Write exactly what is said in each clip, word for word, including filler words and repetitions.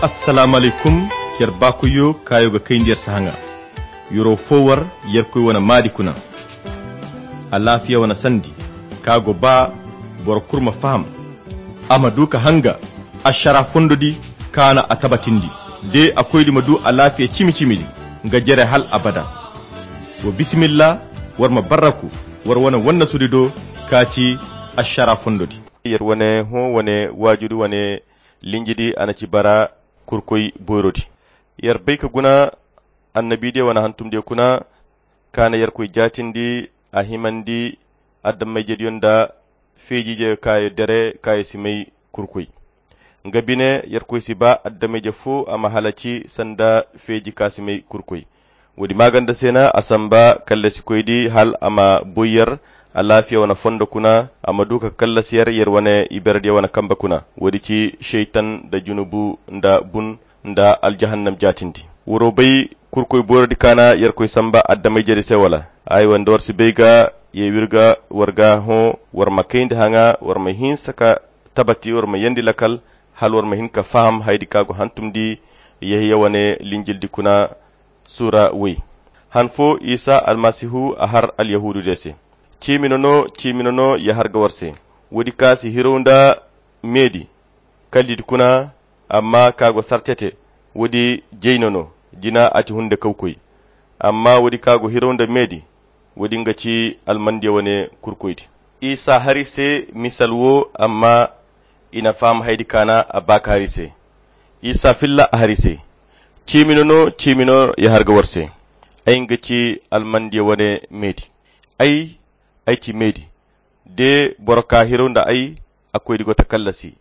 Assalamu alaykum. Yer baakoyyo kaayo ga kayndi yer sahaŋa. Yoro fo war yerkoy wane maadi kuna. Alaafiya wane sandi ka go ba boro kulu ma faham, a ma du ka hanga ašara fondo di kaana a tabatindi, de a koydi ma du alaafiya cimi-cimi di nga jere hal abada. Wa bisimilla, war ma barraku war wane wannasudi do ka ci ašara fondo di. Yer wane hõ wane waajudi wane linjidi a na ci bara kurkoy boyrodi. Yer bay ka guna annabidiyo wane hantumdiyo kuna ka na yerkoy jaatindi a himandi adammayjediyo nda feejiijeyo kaayo dere kaayo si may kurkoy. Nga bine yerkoy si ba adammayje fo a ma halaci sanda feeji ka si may kurkoy. Woodi maaganda se na a samba kallasikoydi hal a ma boy yer alaafiya wane fondo kuna, a ma du ka kallasi yer yer wane iberediyo wane kamba kuna. Woodi ci šeytan nda junubu nda bun nda aljahannam jaatindi. Woro bay kurkoy boyrodi ka na yerkoy samba adammayjedi se wala? Aywa nda war si bay ga ye w'ir ga war ga hõ war ma kayndi haŋa war ma hinsa ka tabati war ma yeendi lakal hal war ma hin ka faham hayadi ka go hantumdi. Yehiya wane linjildi kuna sura woy. Han fo isa almasihu a har alyahuududiyo se. Ciimi no no ciimi no no ya har ga war se. Woodi ka si hirow nda meedi kallidi kuna, amma ka go sartete woodi jay no no jina a ci hunde kawkoy. Amma woodi ka go hirow nda meedi woodi nga ci almandiyo wane kurkoydi. Isa har i se misal wo amma i na faham hayadi ka na a ba ka har i se. Isa filla a har i se. Ciimi no no ciimi no ya har ga war se. Ay nga ci almandiyo wane meedi. Ay ay ci meedi. De boro ka hirow nda ay a koydi go ta kallasi.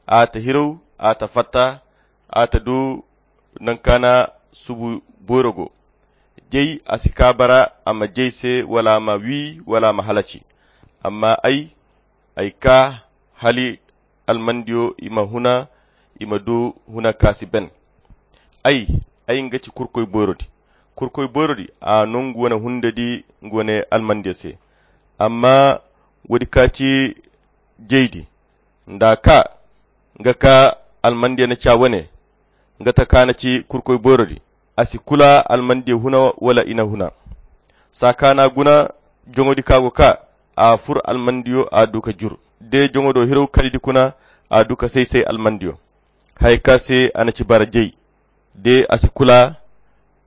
A ta hirow a ta fatta a ta du nangu ka na subu boyro go. Jay a si ka bara a ma jay se wala a ma wi wala a ma halaci. Amma ay ay ka hali almandiyo i ma huna i ma du huna ka si ben. Ay ay nga ci kurkoy boyrodi. Kurkoy boyrodi a no nga wane hundedi nga wane almandiyo se. Amma woodi ka ci jaydi nda ka nga ka almandiyo na ca wane nga ta ka na ci kurkoy boyrodi. A si kula almandiyo huna wala i na huna. Saa ka na guna joŋodi ka go ka a fur almandiyo a du ka jur de joŋodo hirow kalidi kuna a du ka say-say almandiyo. Haya ka se a na ci bara jay de a si kula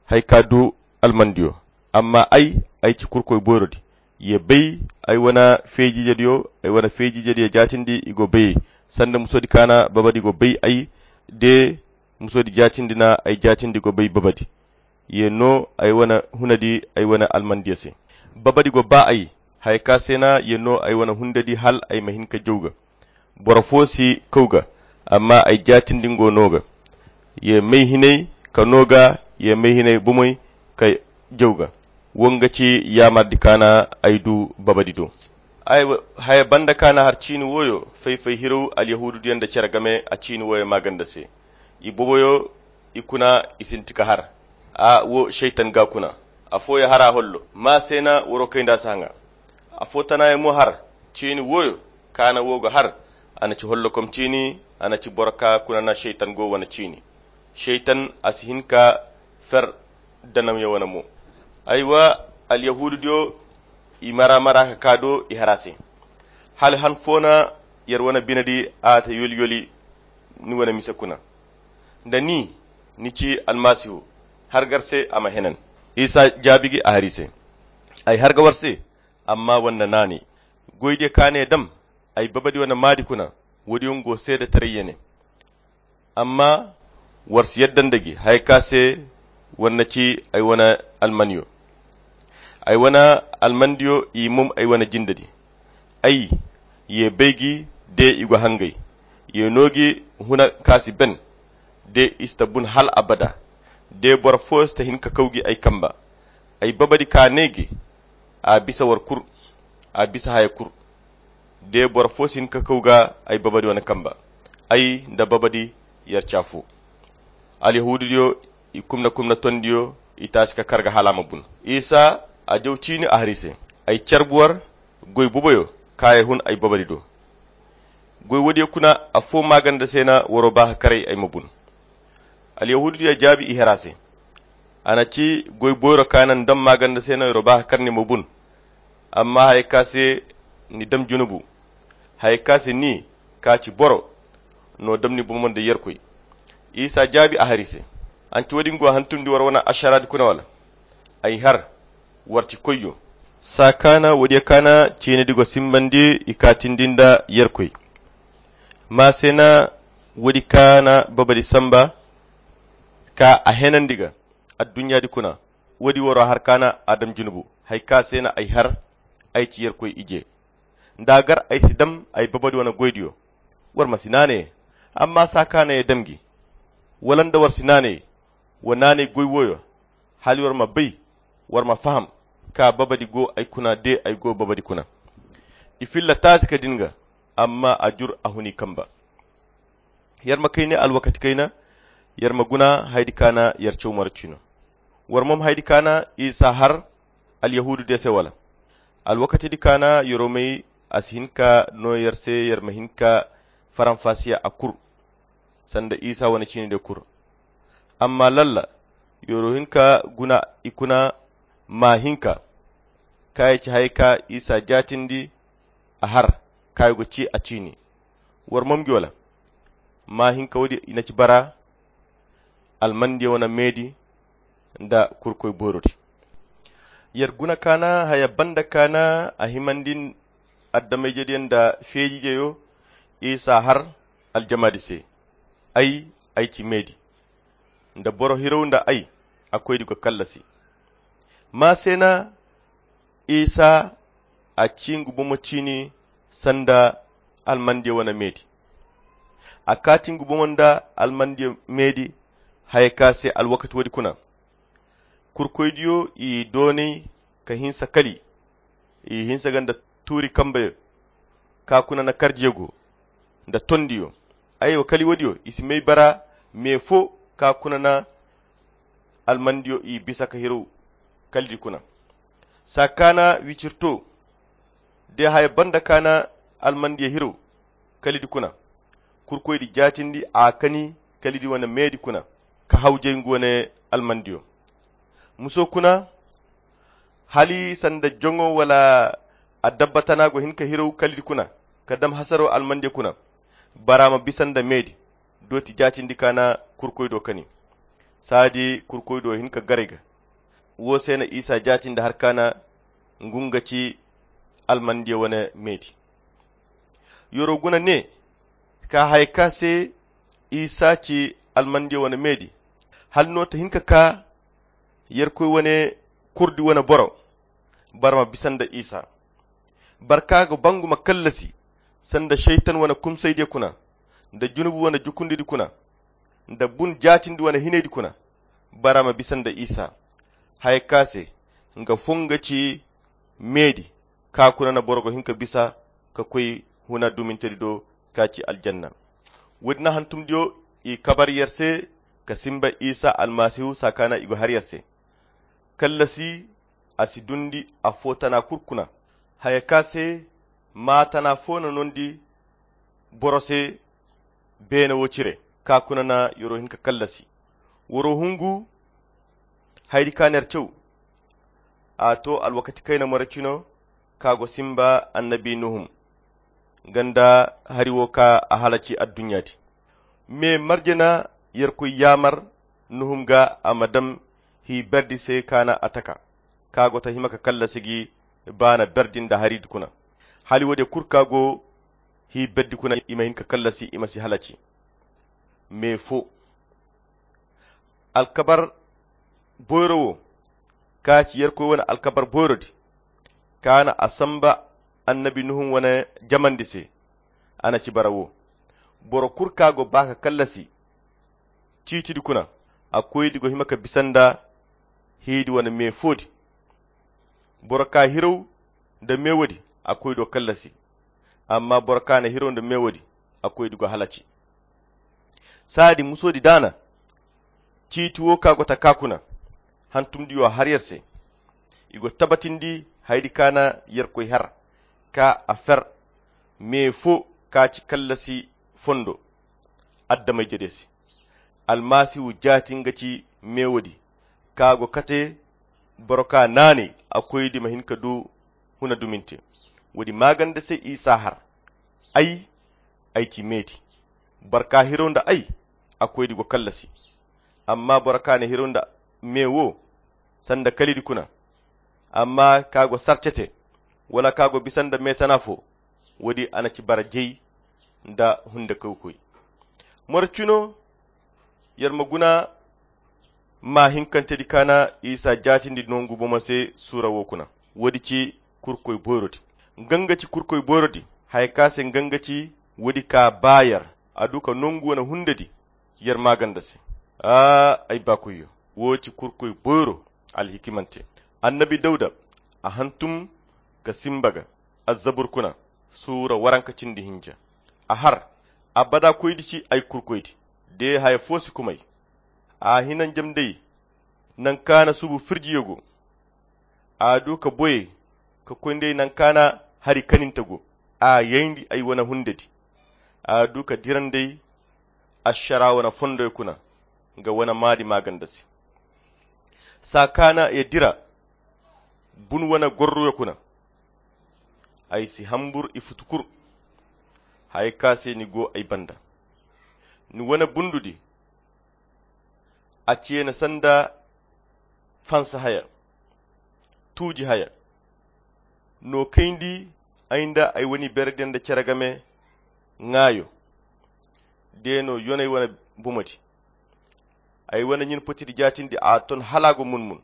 haya ka du almandiyo. Amma ay ay ci kurkoy boyrodi. Ye bay ay wane feejiijediyo ay wane feejiijediyo jaatindi i go bayey sanda musodi ka na babadi go bay ay de musodi jaatindi na ay jaatindi go bay babadi. Ye no ay wane hunadi ay wane almandiyo se. Babadi go ba ay haya ka se na ye no ay wane hundadi hal ay ma hin ka jaw ga. Boro fo si kaw ga amma ay jaatindi ngo no ga. Ye may hinay ka no ga ye may hinay bomoy ka jaw ga. Wo nga ci yaamardi ka na ay du babadi do. Ay haya banda ka na har ciini wooyo fay-fay hirow alyahuududiyo nda cere game a ciini wooyo maaganda se. I boboyo i kuna i sinti ka har. A wo seytan ga kuna. Afooyo har a hollo ma se na waro kay nda si haŋa. Afo tanayo mo har ciini wooyo kaana wo ga har. A na ci hollokom ciini a na ci boro ka kuna na seytan go wane ciini. Seytan a si hin ka fer danamyo wane mo. Aywa alyahuududiyo i mara-mara ka ka do i har a se. Hala han fo na yer wane binedi a ta yoli-yoli ni wane mise kuna. Nda ni ni ci almasihu har ga ar se a ma henan. Isa jaabi gi a har i se. Ay har ga war se amma war na naanay goydiyo ka ne dam ay babadi wane maadi kuna. Woodiyo nga go seedetaray ya ne. Amma war si yadda nda gi haya ka se war na ci ay wane almanyo. Ay wane almandiyo i mum ay wane jindadi. Ay ye bay gi de i go hangay. Ye no gi huna ka si ben de i si ta bun hal abada. De boro fo si ta hin ka kaw gi ay kamba. Ay babadi ka ne gi a bisa war kul. A bisa haya kul. De boro fo si hin ka kaw ga ay babadi wane kamba. Ay nda babadi yer ci afo. Alyahuududiyo i kumna-kumna tondiyo i taasi ka kar ga hala a ma bun. Isa a jaw ciini a har i se. Ay carbu war goy boboyo ka ye hun ay babadi do. Goy woodiyo kuna afo maaganda se na waro ba ka karay ay ma bun. Alyahuudu diya jaabi i hera se. A na ci goy boyro ka na ni dam maaganda se no iri ba ka kar ni ma bun. Amma haya ka se ni dam junubu, haya ka se ni ka ci boro no dam ni bomo nda yerkoy. Isa jaabi a hari se. An ci wo- din go hantumndi war wane ašaraadi kuna wala? Ay har war ci koyyo. Saa ka na wo- diya ka na ciinidi go simbandi i kaatindi nda yerkoy. Ma se na wo- di ka na babadi samba ka a henandi ga adduɲɲaadi kuna. Wo- di waro har ka na a dam junubu, haya ka se na ay har ay ci yerkoy ije. Nda gar ay si dam ay babadi wane goydiyo, war ma si naanay. Amma saa ka na ye dam gi, wala nda war si naanay, wa naanay goy wooyo, hala war ma bay, war ma faham ka babadi go ay kuna de ay go babadi kuna. I filla taasi ka din ga, amma a jur a hun i kamba. Yer ma kayne alwakati kayna, yer ma guna haydi ka na yer caw maracino. War mom haydi ka na isa har alyahuudu de se wala? Alwakatidi ka na yeromey a si hin ka no yer se yer ma hin ka faranfasiya a kur, sanda isa wane ciini de kur. Amma lalla yero hin ka guna i kuna, ma hin ka kaayi ci haya ka isa jaatindi a har kaayi go ci a ciini. War mom gi wala? Ma hin ka wo- di i na ci bara almandiya wane meedi nda kurkoy boyrodi. Yer guna ka na haya banda ka na a himandi addamayjediya nda feejijeyo. Isa har aljamaadi se, ay ay ci meedi nda boro hirow nda ay a koydi go kallasi. Ma se na isa a ci ngu bomo ciini sanda almandiya wane meedi. A kaati ngu bomo nda almandiya meedi haya ka se alwakati wo- di kuna. Kurkoydiyo i doonay ka hinsa kali, i hinsa ga nda tuuri kambeyo ka kuna na karjiyo go nda tondiyo. Aywa kali wo- diyo i si may bara me fo ka kuna na almandiyo i bisa ka hirow kalidi kuna. Saa ka na wicirto de haya banda ka na almandiya hirow kalidi kuna. Kurkoydi jaatindi a kani kalidi wane meedi kuna ka hawjay ngu wane almandiyo. Muso kuna hali sanda joŋo wala adabba tana go hin ka hirow kalidi kuna ka dam hasaro almandiya kuna. Bara ma bisa nda meedi dooti jaatindi ka na kurkoydo kani. Saadi kurkoydo hin ka garay ga. Wo se na isa jaatindi har ka na ngu nga ci almandiya wane meedi. Yoro guna ne ka haya ka se isa ci almandiya wane meedi. Hala no ta hin ka ka yerkoy wane kurdi wane boro. Bara ma bisa nda isa. Barka ga bangu ma kallasi sanda saytan wane kumsaydiya kuna nda junubu wane jukundidi kuna nda bun jaatindi wane hinaydi kuna. Bara ma bisa nda isa haya ka se nga fo nga ci meedi ka kuna na boro go hin ka bisa ka koy huna dumintedi do ka ci aljanna. Wo- din na hantumdiyo i kabar yer se ka simba isa almasihu saa ka na i go har yer se. Kallasi a si dundi afo tana kulu kuna. Haya ka se maa tana fo na nondi boro se beene wo cire ka kuna na yoro hin ka kallasi. Woro hungu haydi ka na yer caw. A to alwakati kayna more cino ka go simba annabi nuhum ganda hari wo ka a halaci adduɲɲa di. Me marje na yerkoy yaamar nuhum ga a ma dam hi berdi se ka na a taka ka go ta hima ka kallasi gi baana berdi nda hari di kuna. Hali wo- de kulu ka go hi berdi kuna i ma hin ka kallasi i ma si halaci. Me fo alkabar boyro wo ka ci yerkoy wane alkabar boyrodi ka na a samba annabi nuhun wane jamandi se. A na ci bara wo boro kulu ka go ba ka kallasi ciitidi kuna a koydi go hima ka bisa nda hiidi wane me foodi. Boro ka hirow nda me woodi a koydo kallasi. Amma boro ka na hirow nda me woodi a koydi go halaci. Saadi musoodi daana ciiti wo ka go ta ka kuna hantumdiyo har yer se. I go tabatindi haydi ka na yerkoy har ka a fer me fo ka ci kallasi fondo adamay jede se. Almasihu jaati nga ci meewo di, ka go kate boro ka naanay a koy di ma hin ka du huna duminte. Woodi maaganda se isa har, ay ay ci meedi. Boro ka hiraw nda ay a koy di go kallasi. Amma boro ka na hiraw nda meewo sanda kalidi kuna, amma ka go sarcete wala ka go bisa nda meetana fo, woodi a na ci bara jey nda hunde kawkoy. Moro cino yer ma guna ma hinkantedi ka na isa jaatindi nongu bomo se suura wo kuna. Woodi ci kurkoy boyrodi. Nga nga ci kurkoy boyrodi. Haya ka se nga nga ci woodi ka ba yer a du ka nongu wane hundedi yer maaganda se. Aa ay baakoyyo, wo ci kurkoy boyro alhikimante. Annabi dawda a hantum ka simba ga azzabur kuna suura waranka cindi hinja. A har abada koydi ci ay kurkoydi. De haya fo si kumay. A hina njamday nanka na subu firjiyo go. A du ka boyey ka koy nd'ey nanka na hari kaninta go. A yayndi ay wane hundedi. A du ka dira nd'ey ašara wane fondoy kuna nga wane maadi maaganda se. Saa ka na ya dira bun wane gorruyo kuna. Ay si hambur i futu kur. Haya ka se ni go ay banda. Ni wane bundudi a ceena sanda fansa haya tuuji haya. No kayndi ay nda ay wane berediyaŋ nda cere game ŋaayo. De no yonay wane bumadi ay wane ɲin potidi jaatindi a ton hala a go mun-mun.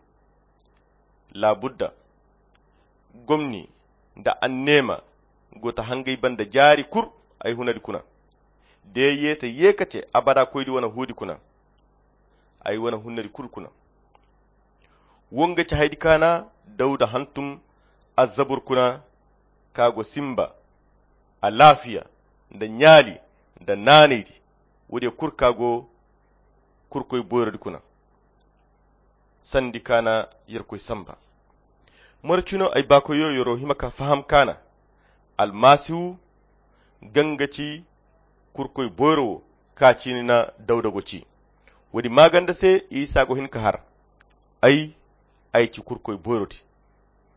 Laabudda gomni nda anneema go ta hangay banda jaari kul. Ay hunadi kuna de yeete yeekate abada koydi wane huudi kuna. Ay wane hunnadi kul kuna. Wo nga ci haydi ka na dawda hantum azzabur kuna ka go simba alaafiya nda ɲaali nda naanaydi. Woodiyo kul ka go kurkoy boyrodi kuna sandi ka na yerkoy samba. Moro cino ay baakoyyo yer'o hima ka faham ka na almasihu ganga ci kurkoy boyro wo ka ciini na dawda go ci. Woodi maaganda se isa go hin ka har ay ay ci kurkoy boyrodi.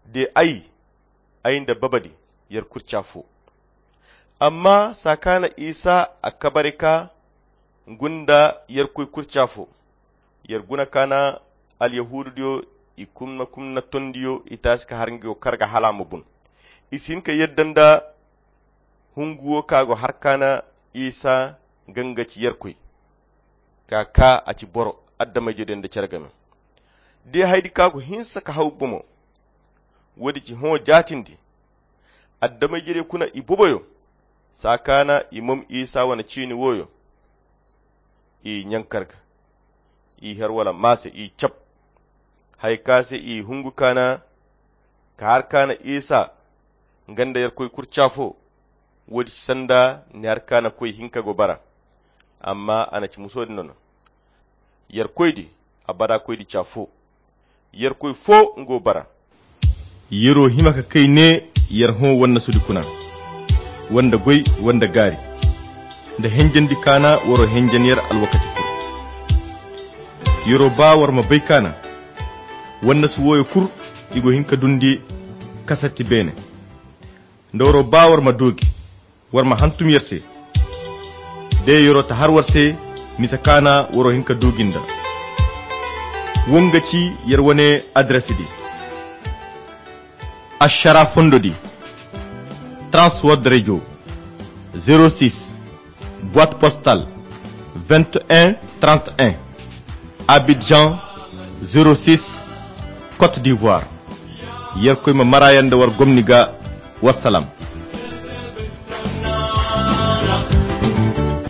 De ay ay nda babadi yer kurca fo. Amma saa ka na isa a kabari ka gunda yerkoy kurca fo. Yer guna ka na alyahuududiyo i kumna kumna tondiyo i taasi ka har nga yo karga hala a ma bun. I si hin ka yadda nda hungu wo ka go har ka na isa ganga ci yerkoy ka ka a ci boro adamay-jediyo nda cere game. De haydi ka go hinsa ka haw bomo. Woodi ci hõ jaatindi adamay-jediyo kuna i boboyo. Saa ka na i mom isa wane ciini wooyo i ɲankar ga i her wala maase i cab. Haya ka se i hungu ka na ka har ka na isa nga nda yerkoy kurca fo. Woodi ci sanda ni har ka na koy hinka go bara. Amma a na ci musoodi nono. Yerkoydi abada koydi ca fo. Yerkoy fo nga wo bara. Yer'o hima ka kay ne yer hõ wannasudi kuna wanda goy wanda gaari nda henjandi ka na war'o henjan yer alwakati kul. Yer'o ba war ma bay ka na wannasu wooyo kul i go hin ka dundi kasatti beene. Nda war'o ba war ma doogi war ma hantum yer se. De yer'o ta har war se misa ka na war'o hin ka doogi nda. Wo nga ci yer wane adarasidi. Ašara fondodi, transword radio, zero six, boite postale, vingt et un trente et un, Abidjan, zero six, Côte d'Ivoire. Yerkoy ma mara yer nda war gomni ga. Wassalam.